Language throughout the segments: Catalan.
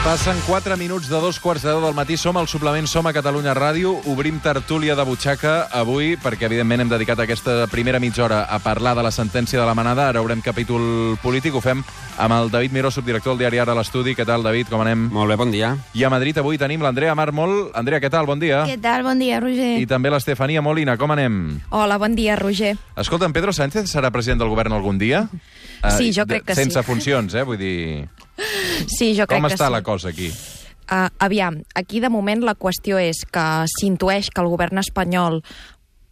Passen 4 minuts de 2:15 del matí. Som al suplement Som a Catalunya Ràdio. Obrim tertúlia de butxaca avui perquè, evidentment, hem dedicat aquesta primera mitja hora a parlar de la sentència de la manada. Ara obrem capítol polític. Ho fem amb el David Miró, subdirector del diari Ara a l'estudi. Què tal, David? Com anem? Molt bé, bon dia. I a Madrid avui tenim l'Andrea Mármol. Andrea, què tal? Bon dia. Què tal? Bon dia, Roger. I també l'Estefania Molina. Com anem? Hola, bon dia, Roger. Escolta, en Pedro Sánchez serà president del govern algun dia? Sí, jo crec que sí. Sense funcions, vull dir... Sí, jo crec que sí. Com està la cosa aquí? Aviam, aquí de moment la qüestió és que s'intueix que el govern espanyol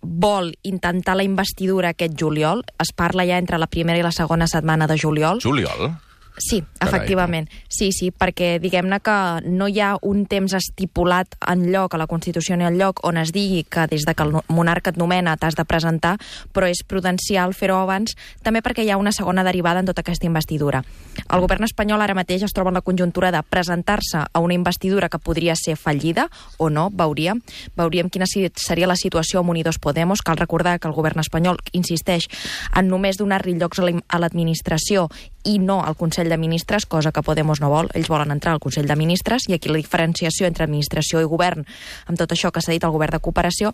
vol intentar la investidura aquest juliol. Es parla ja entre la primera i la segona setmana de juliol. Juliol? Sí, efectivament. Sí, perquè diguem-ne que no hi ha un temps estipulat enlloc, a la Constitució ni enlloc, on es digui que des de que el monarca et nomena t'has de presentar, però és prudencial fer-ho abans, també perquè hi ha una segona derivada en tota aquesta investidura. El govern espanyol ara mateix es troba en la conjuntura de presentar-se a una investidura que podria ser fallida o no, veuríem quina seria la situació amb Unidos Podemos. Cal recordar que el govern espanyol insisteix en només donar-li llocs a l'administració i no al Consell de Ministres, cosa que Podemos no vol. Ells volen entrar al Consell de Ministres, i aquí la diferenciació entre administració i govern, amb tot això que s'ha dit al govern de cooperació.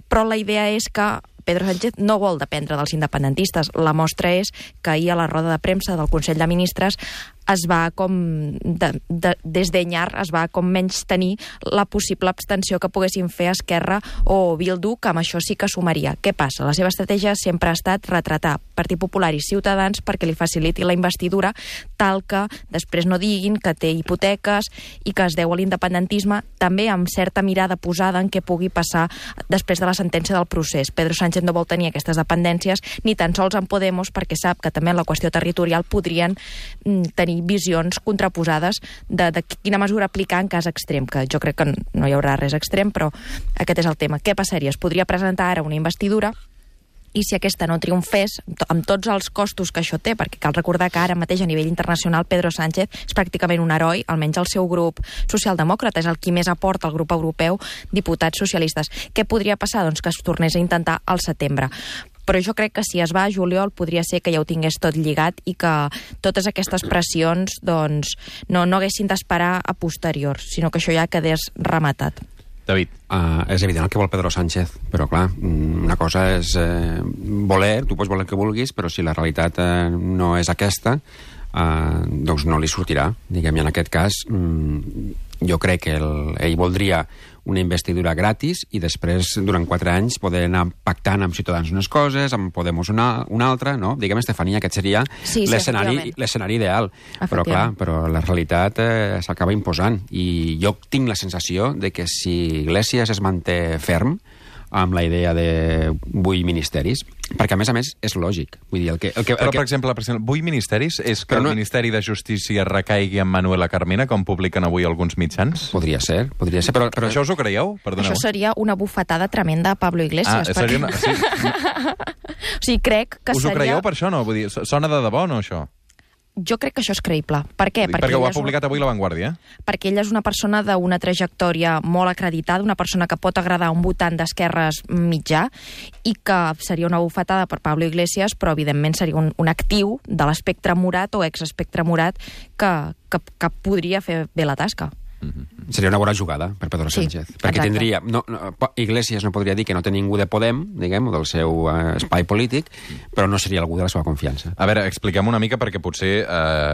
Però la idea és que Pedro Sánchez no vol dependre dels independentistes. La mostra és que ahir a la roda de premsa del Consell de Ministres es va com desdenyar, es va com menys tenir la possible abstenció que poguessin fer Esquerra o Bildu, que amb això sí que sumaria. Què passa? La seva estratègia sempre ha estat retratar Partit Popular i Ciutadans perquè li faciliti la investidura, tal que després no diguin que té hipoteques i que es deu a l'independentisme, també amb certa mirada posada en què pugui passar després de la sentència del procés. Pedro Sánchez no vol tenir aquestes dependències, ni tan sols en Podemos, perquè sap que també en la qüestió territorial podrien tenir visions contraposades de quina mesura aplicar en cas extrem, que jo crec que no hi haurà res extrem, però aquest és el tema. Què passaria? Es podria presentar ara una investidura i si aquesta no triomfés, amb tots els costos que això té, perquè cal recordar que ara mateix a nivell internacional Pedro Sánchez és pràcticament un heroi, almenys el seu grup socialdemòcrata, és el qui més aporta al grup europeu diputats socialistes. Què podria passar? Doncs que es tornés a intentar al setembre. Però jo crec que si es va a juliol podria ser que ja ho tingués tot lligat i que totes aquestes pressions doncs, no haguessin d'esperar a posteriors, sinó que això ja quedés rematat. David. És evident el que vol Pedro Sánchez, però clar, una cosa és voler, tu pots voler el que vulguis, però si la realitat no és aquesta, doncs no li sortirà. Diguem, i en aquest cas, jo crec que ell voldria una investidura gratis i després, durant 4 anys, poder anar pactant amb Ciutadans unes coses, amb Podemos una altra, no? Diguem, Estefania, aquest seria l'escenari ideal. Però clar, la realitat s'acaba imposant. I jo tinc la sensació de que si Iglesias es manté ferm amb la idea de 8 ministeris, perquè, a més, és lògic. Vull dir, però, per exemple, 8 ministeris és que el Ministeri de Justícia recaigui en Manuela Carmena, com publiquen avui alguns mitjans? Podria ser, però això us ho creieu? Perdoneu. Això seria una bufetada tremenda a Pablo Iglesias. Seria una... Sí. O sigui, crec que us ho creieu per això, no? Vull dir, sona de debò, no, això? Jo crec que això és creïble. Per què? Perquè ho ha publicat avui La Vanguardia. Perquè ella és una persona d'una trajectòria molt acreditada, una persona que pot agradar a un votant d'esquerres mitjà i que seria una bufetada per Pablo Iglesias, però evidentment seria un actiu de l'espectre morat o exespectre morat que podria fer bé la tasca. Seria una bona jugada per Pedro Sánchez, perquè tindria... Iglesias no podria dir que no té ningú de Podem, diguem, o del seu espai polític, però no seria algú de la seva confiança. A veure, expliquem una mica, perquè potser,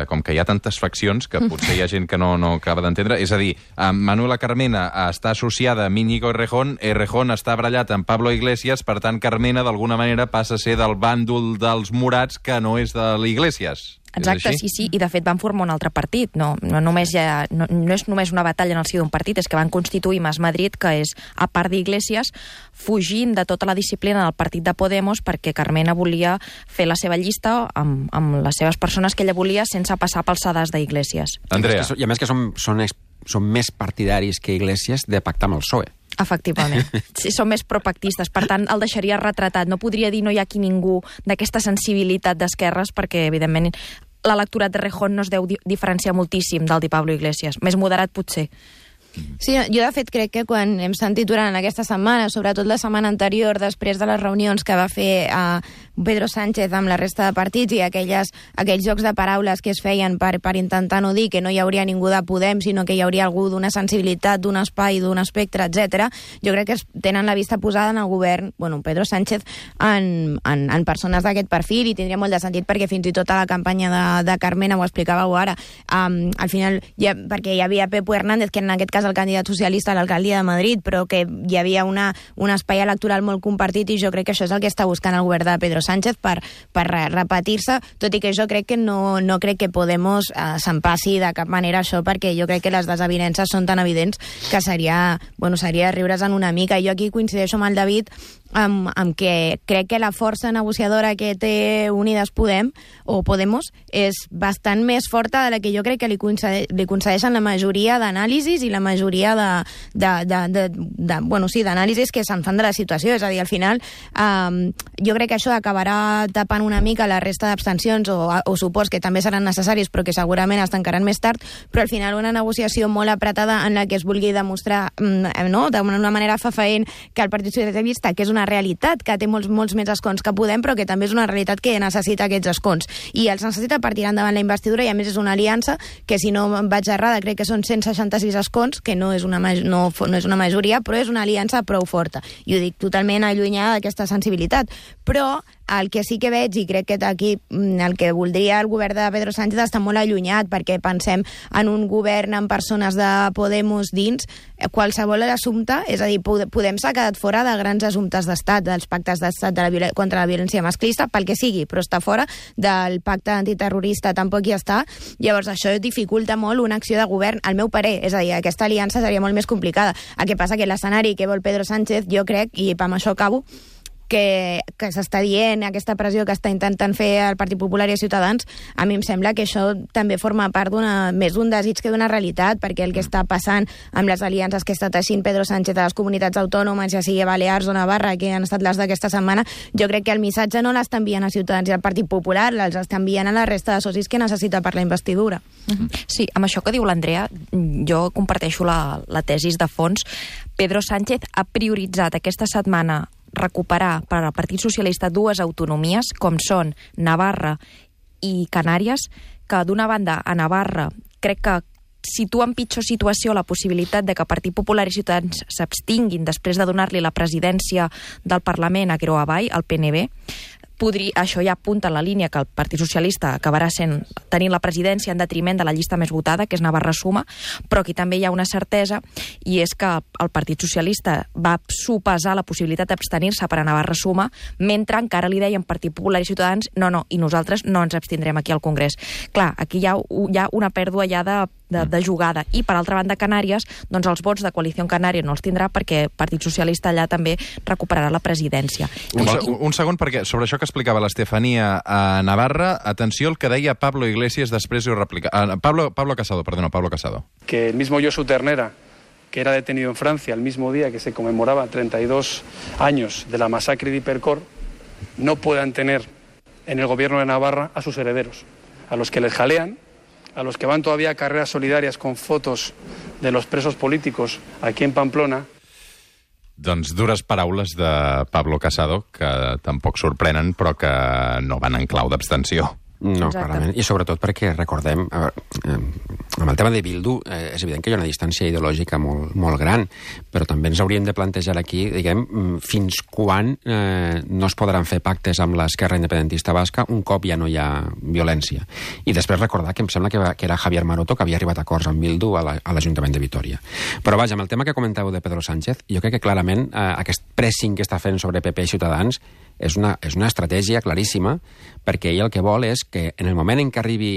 com que hi ha tantes faccions, que potser hi ha gent que no acaba d'entendre, és a dir, Manuela Carmena està associada amb Íñigo Errejón, Errejón està barallat amb Pablo Iglesias, per tant, Carmena, d'alguna manera, passa a ser del bàndol dels morats, que no és de l'Iglesias. Exacte, sí, i de fet van formar un altre partit. No és només una batalla en el si d'un partit, és que van constituir Mas Madrid, que és, a part d'Iglesias, fugint de tota la disciplina del partit de Podemos, perquè Carmena volia fer la seva llista amb les seves persones que ella volia sense passar pel sedàs d'Iglesias. Andrea. I a més que són més partidaris que Iglesias de pactar amb el PSOE. Efectivament. Sí, són més propactistes. Per tant, el deixaria retratat. No podria dir no hi ha aquí ningú d'aquesta sensibilitat d'esquerres perquè, evidentment, l'electorat de Rejón no es deu diferenciar moltíssim del de Pablo Iglesias. Més moderat, potser. Sí, jo de fet crec que quan hem sentit durant aquesta setmana, sobretot la setmana anterior, després de les reunions que va fer Pedro Sánchez amb la resta de partits i aquells jocs de paraules que es feien per intentar no dir que no hi hauria ningú de Podem, sinó que hi hauria algú d'una sensibilitat, d'un espai, d'un espectre, etc. Jo crec que tenen la vista posada en el govern, Pedro Sánchez, en persones d'aquest perfil, i tindria molt de sentit perquè fins i tot a la campanya de Carmena, ho explicàveu ara, al final, perquè hi havia Pepo Hernández, que en aquest cas el candidat socialista a l'alcaldia de Madrid, però que hi havia un espai electoral molt compartit, i jo crec que això és el que està buscant el govern de Pedro Sánchez per repetir-se, tot i que jo crec que no crec que Podemos se'n passi de cap manera això, perquè jo crec que les desavinences són tan evidents que seria riure's en una mica. Jo aquí coincideixo amb el David amb que crec que la força negociadora que té Unides Podemos és bastant més forta de la que jo crec que li concedeixen la majoria d'anàlisis i la majoria d'anàlisis que se'n fan de la situació. És a dir, al final jo crec que això acabarà tapant una mica la resta d'abstencions o suports que també seran necessaris però que segurament es tancaran més tard, però al final una negociació molt apretada en la que es vulgui demostrar d'una manera fefaent que el Partit Socialista, que és una realitat que té molts més escons que Podem, però que també és una realitat que necessita aquests escons. I els necessita per tirar endavant la investidura, i a més és una aliança que, si no em vaig errada, crec que són 166 escons, que no és una majoria, però és una aliança prou forta. I ho dic totalment allunyada d'aquesta sensibilitat. Però el que sí que veig, i crec que aquí el que voldria el govern de Pedro Sánchez està molt allunyat, perquè pensem en un govern amb persones de Podemos dins, qualsevol assumpte, és a dir, Podem s'ha quedat fora de grans assumptes d'estat, dels pactes d'estat contra la violència masclista, pel que sigui, però està fora del pacte antiterrorista, tampoc hi està. Llavors això dificulta molt una acció de govern, al meu parer, és a dir, aquesta aliança seria molt més complicada. El que passa que l'escenari que vol Pedro Sánchez, jo crec, i amb això acabo, que s'està dient, aquesta pressió que està intentant fer el Partit Popular i Ciutadans, a mi em sembla que això també forma part més d'un desig que d'una realitat, perquè el que està passant amb les aliances que està teixint Pedro Sánchez a les comunitats autònomes, ja sigui Balears o Navarra, que han estat les d'aquesta setmana, jo crec que el missatge no l'està enviant a Ciutadans i al Partit Popular, els està enviant a la resta de socis que necessita per la investidura. Sí, amb això que diu l'Andrea, jo comparteixo la tesis de fons. Pedro Sánchez ha prioritzat aquesta setmana recuperar per al Partit Socialista dues autonomies, com són Navarra i Canàries, que d'una banda a Navarra crec que situa en pitjor situació la possibilitat de que Partit Popular i Ciutadans s'abstinguin després de donar-li la presidència del Parlament a Creu Avall, al PNB. Això ja apunta en la línia que el Partit Socialista acabarà tenint la presidència en detriment de la llista més votada, que és Navarra Suma, però aquí també hi ha una certesa, i és que el Partit Socialista va sopesar la possibilitat d'abstenir-se per a Navarra Suma, mentre encara li deien Partit Popular i Ciutadans no, i nosaltres no ens abstindrem aquí al Congrés. Clar, aquí hi ha una pèrdua ja de jugada. I, per altra banda, Canàries, doncs els vots de Coalició Canària no els tindrà perquè el Partit Socialista allà també recuperarà la presidència. Un segon, perquè sobre això que explicava l'Estefania a Navarra, atenció al que deia Pablo Iglesias, després ho replica. Pablo Casado. Que el mismo Josu Ternera, que era detenido en Francia el mismo día que se conmemoraba 32 años de la masacre de Hipercor, no puedan tener en el gobierno de Navarra a sus herederos, a los que les jalean, a los que van todavía a carreras solidarias con fotos de los presos políticos aquí en Pamplona. Doncs dures paraules de Pablo Casado, que tampoc sorprenen, però que no van en clau d'abstenció. No, clarament. I sobretot perquè, recordem, amb el tema de Bildu, és evident que hi ha una distància ideològica molt gran, però també ens hauríem de plantejar aquí, diguem, fins quan no es podran fer pactes amb l'esquerra independentista basca un cop ja no hi ha violència. I després recordar que em sembla que era Javier Maroto que havia arribat a acords amb Bildu a l'Ajuntament de Vitoria. Però vaja, amb el tema que comentàveu de Pedro Sánchez, jo crec que clarament aquest pressing que està fent sobre PP i Ciutadans és una estratègia claríssima, perquè ell el que vol és que en el moment en què arribi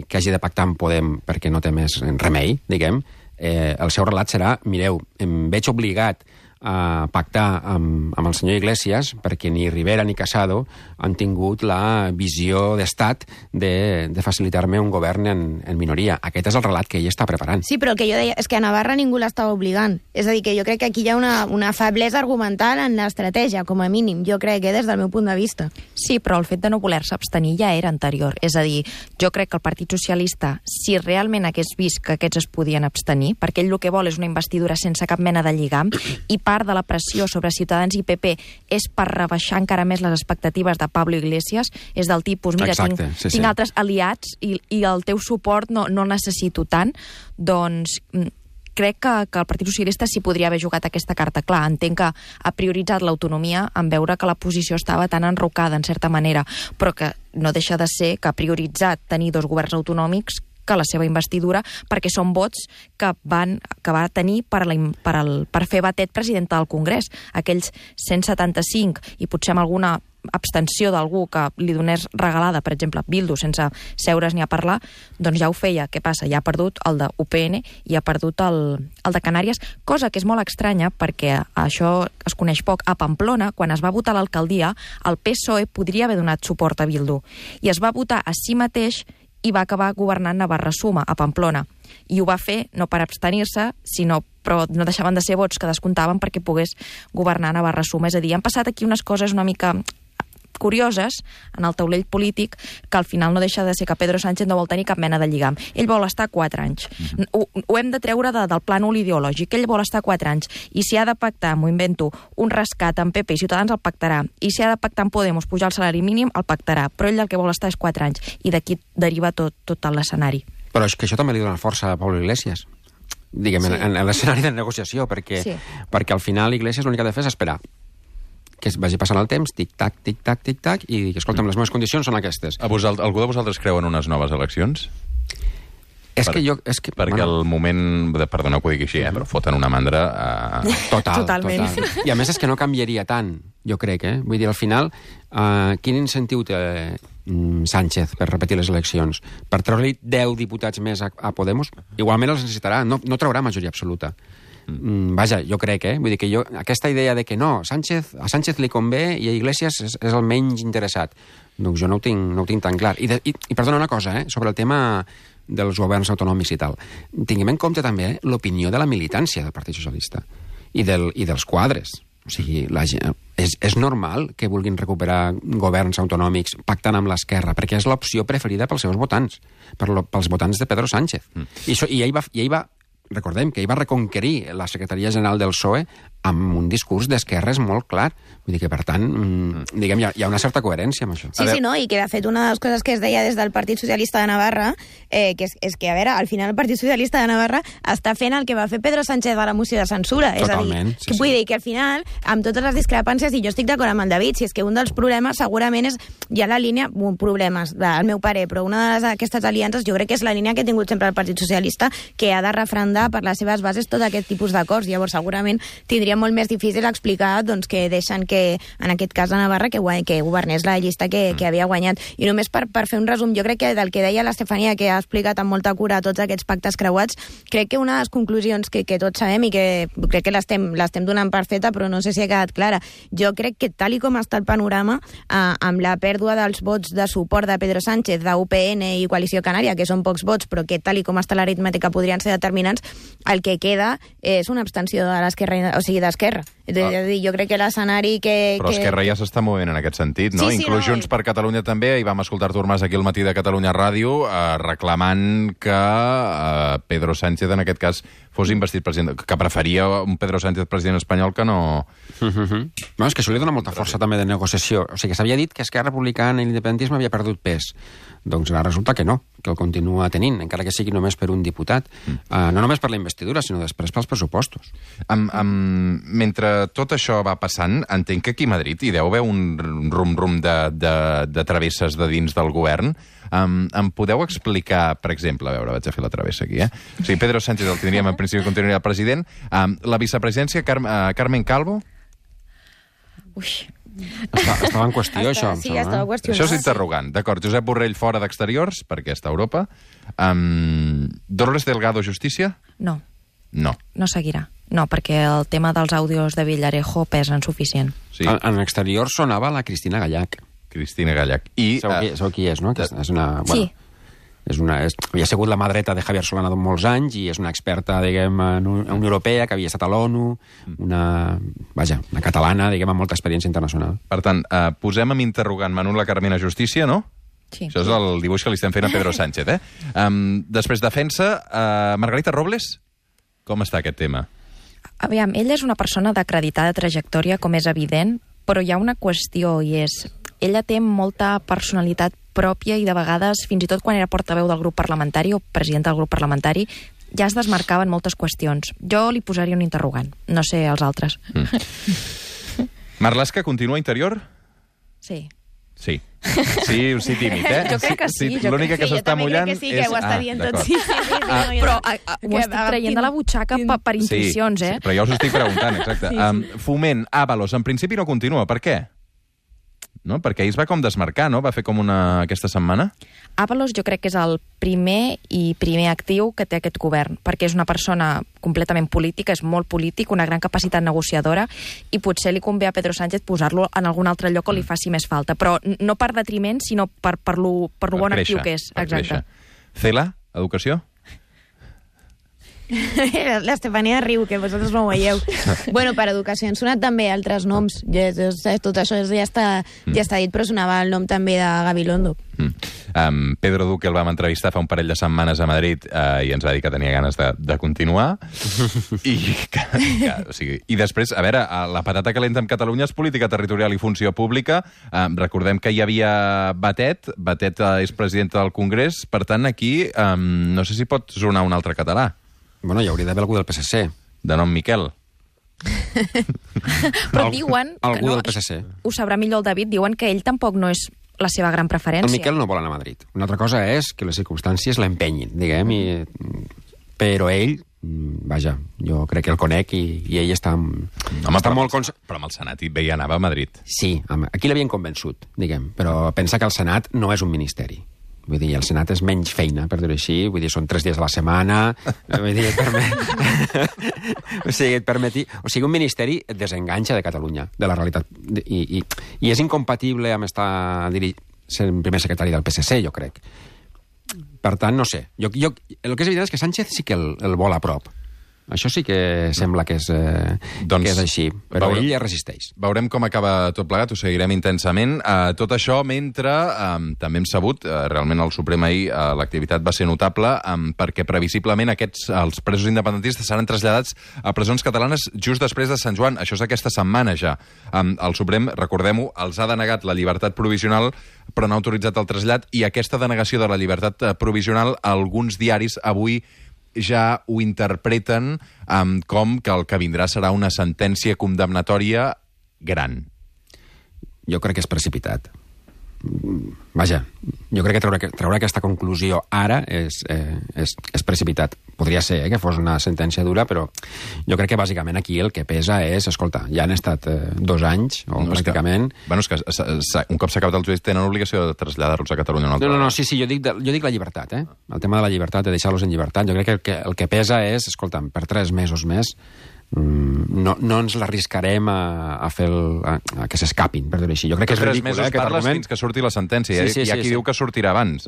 que hagi de pactar amb Podem perquè no té més remei, diguem, el seu relat serà: mireu, em veig obligat a pactar amb el senyor Iglesias perquè ni Rivera ni Casado han tingut la visió d'estat de facilitar-me un govern en minoria. Aquest és el relat que ell està preparant. Sí, però el que jo deia és que a Navarra ningú l'estava obligant. És a dir, que jo crec que aquí hi ha una feblesa argumental en l'estratègia, com a mínim. Jo crec que des del meu punt de vista. Sí, però el fet de no voler-se abstenir ja era anterior. És a dir, jo crec que el Partit Socialista, si realment hagués vist que aquests es podien abstenir, perquè ell el que vol és una investidura sense cap mena de lligam, i part part de la pressió sobre Ciutadans i PP és per rebaixar encara més les expectatives de Pablo Iglesias, és del tipus, mira, Exacte, tinc altres aliats i el teu suport no el necessito tant, doncs crec que el Partit Socialista s'hi podria haver jugat aquesta carta. Clar, entenc que ha prioritzat l'autonomia en veure que la posició estava tan enrocada, en certa manera, però que no deixa de ser que ha prioritzat tenir 2 governs autonòmics que la seva investidura, perquè són vots que va tenir per fer batet presidenta del Congrés. Aquells 175 i potser amb alguna abstenció d'algú que li donés regalada, per exemple, Bildu, sense seure's ni a parlar, doncs ja ho feia. Què passa? Ja ha perdut el de UPN i ha perdut el de Canàries, cosa que és molt estranya perquè això es coneix poc. A Pamplona, quan es va votar l'alcaldia, el PSOE podria haver donat suport a Bildu i es va votar a si mateix i va acabar governant Navarra Suma, a Pamplona. I ho va fer no per abstenir-se, però no deixaven de ser vots que descomptaven perquè pogués governar Navarra Suma. És a dir, han passat aquí unes coses una mica curioses en el taulell polític que al final no deixa de ser que Pedro Sánchez no vol tenir cap mena de lligam. Ell vol estar 4 anys. Ho hem de treure del plànol ideològic. Ell vol estar 4 anys. I si ha de pactar, m'ho invento, un rescat amb PP i Ciutadans, el pactarà. I si ha de pactar amb Podemos, pujar el salari mínim, el pactarà. Però ell el que vol estar és 4 anys. I d'aquí deriva tot l'escenari. Però és que això també li dona força a Pablo Iglesias, diguem, en l'escenari de negociació, perquè al final Iglesias l'únic que ha de fer és esperar que es vagi passant el temps, tic-tac, tic-tac, tic-tac, i dir, escolta'm, les meves condicions són aquestes. Algú de vosaltres creu en unes noves eleccions? Perquè el moment... Perdoneu que ho digui així, però foten una mandra... Totalment. I a més és que no canviaria tant, jo crec, Vull dir, al final, quin incentiu té Sánchez per repetir les eleccions? Per treure-li 10 diputats més a Podemos? Igualment els necessitarà, no traurà majoria absoluta. Vaja, jo crec, vull dir que aquesta idea de que no, a Sánchez li convé i a Iglesias és el menys interessat, doncs jo no ho tinc tan clar. I perdona una cosa, sobre el tema dels governs autonòmics i tal. Tinguem en compte també l'opinió de la militància del Partit Socialista i dels quadres. O sigui, és normal que vulguin recuperar governs autonòmics pactant amb l'esquerra, perquè és l'opció preferida pels seus votants, pels votants de Pedro Sánchez. I ell va recordem que ell va reconquerir la secretaria general del PSOE amb un discurs d'esquerres molt clar. Vull dir que, per tant, diguem, hi ha una certa coherència amb això. Sí, no, i que, de fet, una de les coses que es deia des del Partit Socialista de Navarra, que és que, a veure, al final el Partit Socialista de Navarra està fent el que va fer Pedro Sánchez a la moció de censura. Totalment, és a dir, vull dir que, al final, amb totes les discrepàncies, i jo estic d'acord amb el David, si és que un dels problemes segurament és ja la línia, problemes, al meu parer, però una d'aquestes aliances jo crec que és la línia que ha tingut sempre el Partit Socialista, que ha de refrendar per les seves bases tot aquest tipus d'acords. Llavors, segurament, tindria molt més difícil explicar doncs, que deixen que, en aquest cas a Navarra, que governés la llista que havia guanyat. I només per fer un resum, jo crec que del que deia l'Estefania, que ha explicat amb molta cura tots aquests pactes creuats, crec que una de les conclusions que tots sabem i que crec que l'estem donant per feta, però no sé si ha quedat clara. Jo crec que tal i com està el panorama, amb la pèrdua dels vots de suport de Pedro Sánchez, d'UPN i Coalició Canària, que són pocs vots, però que tal i com està l'aritmètica podrien ser determinants, el que queda és una abstenció de l'esquerra, o sigui, d'esquerra. És a dir, jo crec que l'escenari que... Però Esquerra ja s'està movent en aquest sentit, no? Sí, Inclús Junts per Catalunya també, i vam escoltar Artur Mas aquí al matí de Catalunya Ràdio, reclamant que Pedro Sánchez, en aquest cas, fos investit president, que preferia un Pedro Sánchez president espanyol que no... No, és que això li dona molta força també de negociació. O sigui, que s'havia dit que Esquerra Republicana i l'independentisme havia perdut pes. Doncs ara resulta que no, que el continua tenint, encara que sigui només per un diputat. No només per la investidura, sinó després pels pressupostos. Mentre tot això va passant, entenc que aquí a Madrid hi deu haver un rum-rum de travesses de dins del govern. Em podeu explicar, per exemple, a veure, vaig a fer la travessa aquí, O sigui, Pedro Sánchez el tindríem en principi continuaria president. La vicepresidència, Carmen Calvo? Ui... Estava en qüestió, això. Sí, estava qüestionat. Això és interrogant. D'acord, Josep Borrell fora d'Exteriors, perquè està a Europa. Dolores Delgado, Justícia? No. No. No seguirà. No, perquè el tema dels àudios de Villarejo pesa insuficient. Sí. En Exterior sonava la Cristina Gallac. Cristina Gallac. Sabeu qui és, no? És una... Bueno, sí. Havia sigut la mà dreta de Javier Solana de molts anys i és una experta, diguem, en Unió Europea, que havia estat a l'ONU, una catalana, diguem, amb molta experiència internacional. Per tant, posem amb interrogant Manuela Carmena Justícia, no? Sí. Això és el dibuix que li estem fent a Pedro Sánchez, Després, defensa, Margarita Robles, com està aquest tema? Aviam, ella és una persona d'acreditada trajectòria, com és evident, però hi ha una qüestió, i és... Ella té molta personalitat pròpia i de vegades, fins i tot quan era portaveu del grup parlamentari o presidenta del grup parlamentari, ja es desmarcaven moltes qüestions. Jo li posaria un interrogant, no sé els altres. Marlaska continua interior? Sí. Sí. Sí, tímid, eh? Jo crec que sí. L'única que s'està mullant és... Jo també crec que sí, que ho està dient tot. Sí. Però ho estic traient de la butxaca per intuïcions, eh? Sí, però jo us ho estic preguntant, exacte. Foment, Ábalos, en principi no continua. Per què? No? Perquè ell es va com desmarcar, no? Va fer com aquesta setmana. Ábalos jo crec que és el primer actiu que té aquest govern, perquè és una persona completament política, és molt polític, una gran capacitat negociadora, i potser li convé a Pedro Sánchez posar-lo en algun altre lloc on li faci més falta, però no per detriment, sinó per lo bon actiu que és. Exacte. Cela, educació? L'Estefania riu, que vosaltres no ho veieu. Bueno, per educació han sonat també altres noms. Tot això ja està dit, però sonava el nom també de Gabilondo. Pedro Duque el vam entrevistar fa un parell de setmanes a Madrid i ens va dir que tenia ganes de continuar. I després, a veure, la patata calenta amb Catalunya és política territorial i funció pública. Recordem que hi havia Batet és presidenta del Congrés, per tant, aquí no sé si pot sonar un altre català. Bueno, hi hauria d'haver algú del PSC. De nom Miquel. Però diuen... Algú del PSC. Ho sabrà millor el David, diuen que ell tampoc no és la seva gran preferència. El Miquel no vol anar a Madrid. Una altra cosa és que les circumstàncies l'empenyin, diguem, però ell, vaja, jo crec que el conec i ell està molt... Però amb el Senat ell anava a Madrid. Sí, aquí l'havien convençut, diguem, però pensa que el Senat no és un ministeri. Vull dir, el Senat és menys feina, per dir-ho així. Vull dir, són 3 dies a la setmana. Vull dir, o sigui, un ministeri et desenganxa de Catalunya, de la realitat. I és incompatible amb estar sent primer secretari del PSC, jo crec. Per tant, no sé. El que és evident és que Sánchez sí que el vol a prop. Això sí que sembla que és així, però ell ja resisteix. Veurem com acaba tot plegat, ho seguirem intensament. Tot això mentre també hem sabut, realment al Suprem ahir l'activitat va ser notable, perquè previsiblement els presos independentistes seran traslladats a presons catalanes just després de Sant Joan. Això és aquesta setmana ja. El Suprem, recordem-ho, els ha denegat la llibertat provisional, però no ha autoritzat el trasllat, i aquesta denegació de la llibertat provisional, alguns diaris avui ja ho interpreten com que el que vindrà serà una sentència condemnatòria gran. Jo crec que és precipitat. Vaja, jo crec que treure aquesta conclusió ara és precipitat. Podria ser que fos una sentència dura, però jo crec que bàsicament aquí el que pesa és, escolta, ja han estat 2 anys, o pràcticament... Bueno, és que un cop s'ha acabat el judici tenen l'obligació de traslladar-los a Catalunya una altra vegada. No, sí, jo dic la llibertat, el tema de la llibertat, de deixar-los en llibertat. Jo crec que el que pesa és, escolta, per 3 mesos més no ens l'arriscarem a fer a que s'escapin, per dir-ho així. Jo crec que és ridícul, 3 mesos parles fins que surti la sentència. Hi ha qui diu que sortirà abans,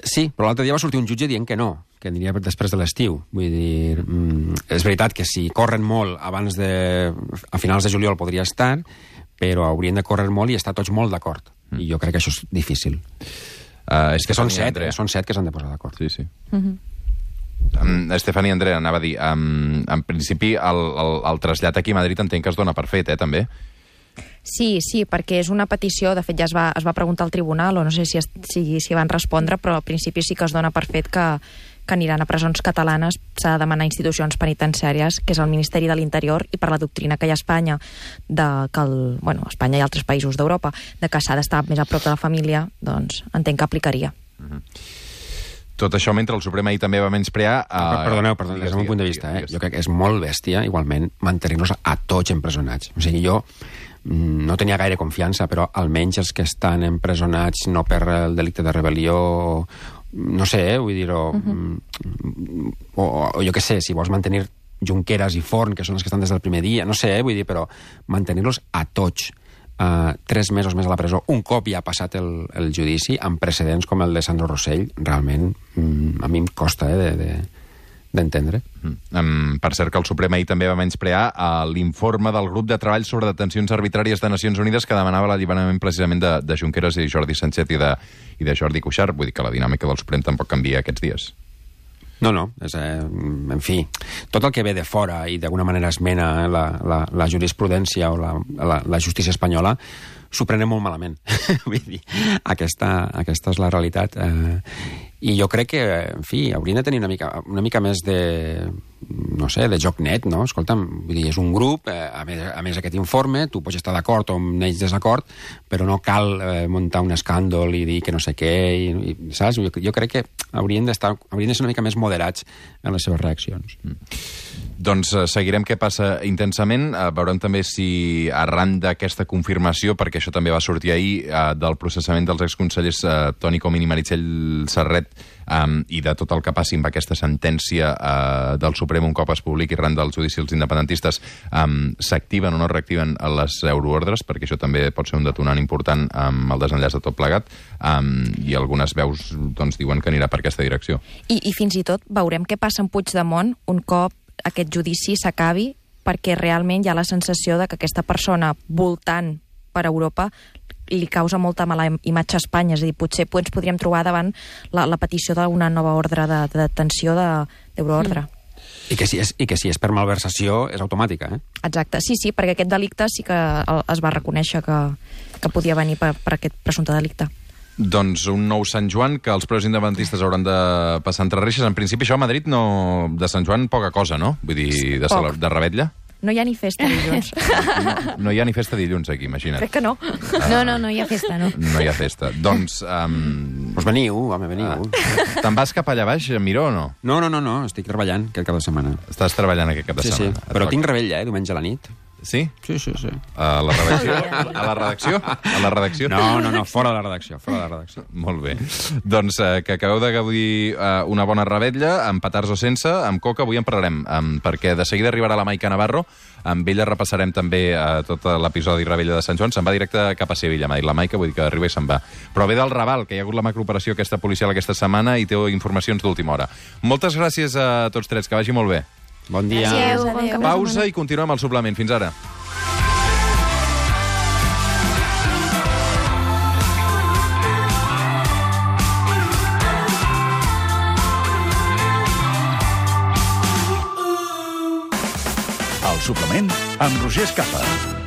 Sí, però l'altre dia va sortir un jutge dient que no, que aniria després de l'estiu. Vull dir, és veritat que si corren molt abans a finals de juliol podria estar, però haurien de córrer molt i estar tots molt d'acord. I jo crec que això és difícil. És que són 7 que s'han de posar d'acord. Sí. Estefania Andrea, anava a dir, en principi el trasllat aquí a Madrid entenc que es dona per fet, també? Sí, perquè és una petició, de fet ja es va preguntar al tribunal, o no sé si van respondre, però al principi sí que es dona per fet que aniran a presons catalanes. S'ha de demanar a institucions penitenciàries, que és el Ministeri de l'Interior, i per la doctrina que hi ha a Espanya, Espanya i altres països d'Europa, de que s'ha d'estar més a prop de la família, doncs entenc que aplicaria. Tot això mentre el Suprem ahir també va menysprear... Perdoneu, des del meu punt de vista, jo crec que és molt bèstia, igualment, mantenir-los a tots empresonats. O sigui, jo no tenia gaire confiança, però almenys els que estan empresonats no per el delicte de rebel·lió, no sé, vull dir, o jo què sé, si vols mantenir Junqueras i Forn, que són els que estan des del primer dia, no sé, vull dir, però mantenir-los a tots 3 mesos més a la presó, un cop ja ha passat el judici, amb precedents com el de Sandro Rosell, realment a mi em costa d'entendre. Per cert que el Suprem ahir també va menysprear l'informe del grup de treball sobre detencions arbitràries de Nacions Unides que demanava l'alliberament precisament de Junqueras i Jordi Sánchez i de Jordi Cuixart. Vull dir que la dinàmica del Suprem tampoc canvia aquests dies. No, en fi, tot el que ve de fora i d'alguna manera esmena la jurisprudència o la justícia espanyola s'ho prenen molt malament. Vull dir, aquesta és la realitat. I jo crec que, en fi, haurien de tenir una mica més de, no sé, de joc net, no? Escolta'm, vull dir, és un grup, a més aquest informe, tu pots estar d'acord o amb ells desacord, però no cal muntar un escàndol i dir que no sé què, saps? Jo crec que haurien de ser una mica més moderats en les seves reaccions. Doncs seguirem què passa intensament. Veurem també si arran d'aquesta confirmació, perquè això també va sortir ahir, del processament dels exconsellers Toni Comín i Meritxell Serret i de tot el que passi amb aquesta sentència del Suprem un cop es publiqui arran del judici als independentistes, s'activen o no reactiven les euroordres, perquè això també pot ser un detonant important amb el desenllaç de tot plegat, i algunes veus doncs, diuen que anirà per aquesta direcció. I fins i tot veurem què passa amb Puigdemont un cop aquest judici s'acabi, perquè realment hi ha la sensació de que aquesta persona voltant per Europa li causa molta mala imatge a Espanya. És a dir, potser ens podríem trobar davant la petició d'una nova ordre de detenció d'euroordre. I que si és per malversació és automàtica, eh? Exacte, sí, perquè aquest delicte sí que es va reconèixer que podia venir per aquest presumpte delicte. Doncs un nou Sant Joan que els presos independentistes hauran de passar entre reixes. En principi això a Madrid de Sant Joan poca cosa, no? Vull dir, de revetlla. No hi ha ni festa dilluns. No hi ha ni festa dilluns aquí, imagina't. Crec que no. No hi ha festa, no. No hi ha festa. Doncs... Pues veniu, home, veniu. Te'n vas cap allà baix, Miró, o no? No, estic treballant aquest cap de setmana. Estàs treballant aquest cap de setmana. Sí, però tinc rebella, diumenge a la nit. Sí? Sí. A la redacció? A la redacció? A la redacció? No, fora de la redacció, Molt bé. Doncs que acabeu de gaudir una bona revetlla, amb petards o sense, amb coca, avui en parlarem, perquè de seguida arribarà la Maica Navarro, amb ella repassarem també tot l'episodi Rebella de Sant Joan, se'n va directe cap a Sevilla, m'ha dit la Maica, vull dir que arriba i se'n va. Però ve del Raval, que hi ha hagut la macrooperació aquesta policial aquesta setmana i té informacions d'última hora. Moltes gràcies a tots tres, que vagi molt bé. Bon dia. Adéu. Pausa i continuem al suplement. Fins ara. El suplement amb Roger Escapa.